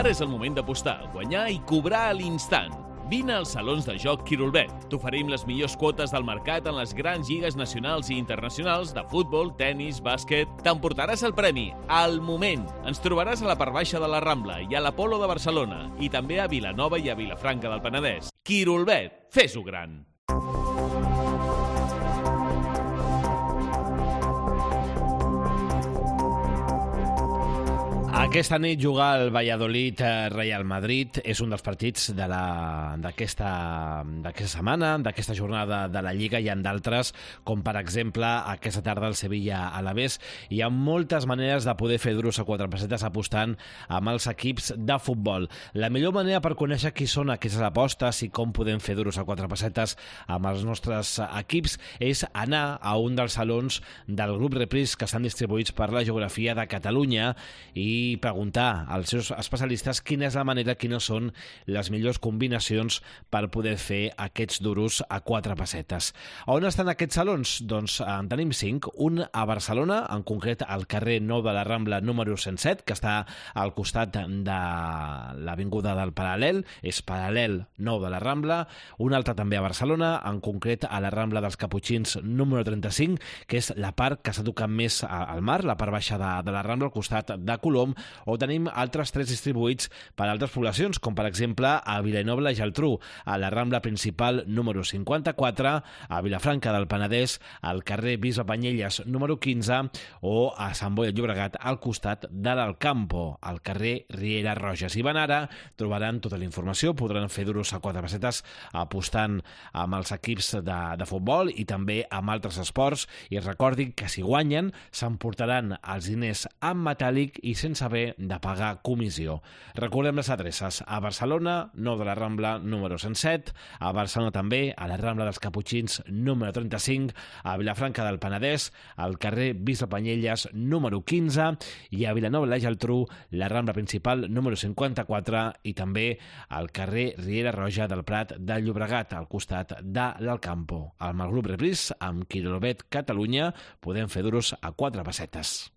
Ara és el moment d'apostar, guanyar i cobrar a l'instant. Vine als salons de joc Quirolbet. T'oferim les millors quotes del mercat en les grans lligues nacionals i internacionals de futbol, tennis, bàsquet. T'emportaràs el premi al moment. Ens trobaràs a la part baixa de la Rambla i a l'Apolo de Barcelona i també a Vilanova i a Vilafranca del Penedès. Quirolbet, fes-ho gran! Aquesta nit jugar el Valladolid-Real Madrid és un dels partits d'aquesta setmana, d'aquesta jornada de la Lliga. Hi ha d'altres, com per exemple aquesta tarda el Sevilla-Alavés. Hi ha moltes maneres de poder fer duros a quatre pessetes apostant amb els equips de futbol. La millor manera per conèixer qui són aquestes apostes i com podem fer duros a quatre pessetes amb els nostres equips és anar a un dels salons del grup Repris que estan distribuïts per la geografia de Catalunya i preguntar als seus especialistes quina és la manera, quines són les millors combinacions per poder fer aquests duros a quatre pessetes. On estan aquests salons? Doncs en tenim 5. Un a Barcelona, en concret al carrer Nou de la Rambla número 107, que està al costat de l'avinguda del Paral·lel, és Paral·lel Nou de la Rambla. Un altre també a Barcelona, en concret a la Rambla dels Caputxins número 35, que és la part que s'ha tocat més al mar, la part baixa de la Rambla, al costat de Colom, o tenim altres 3 distribuïts per a altres poblacions, com per exemple a Vilanova i la Geltrú, a la Rambla principal número 54, a Vilafranca del Penedès, al carrer Bisbe Banyelles número 15, o a Sant Boi de Llobregat, al costat de l'Alcampo, al carrer Riera Roja. Si van ara, trobaran tota la informació, podran fer duros a quatre pessetes apostant amb els equips de futbol i també amb altres esports, i recordin que si guanyen s'emportaran els diners en metàl·lic i sense haver de pagar comissió. Recordem les adreces: a Barcelona, Nou de la Rambla número 107, a Barcelona també, a la Rambla dels Caputxins número 35, a Vilafranca del Penedès, al carrer Bisbe Banyelles número 15, i a Vilanova i la Geltrú, la Rambla principal número 54, i també al carrer Riera Roja del Prat de Llobregat, al costat de l'Alcampo. Amb el grup Repris, amb Quirolbet Catalunya, podem fer duros a quatre pessetes.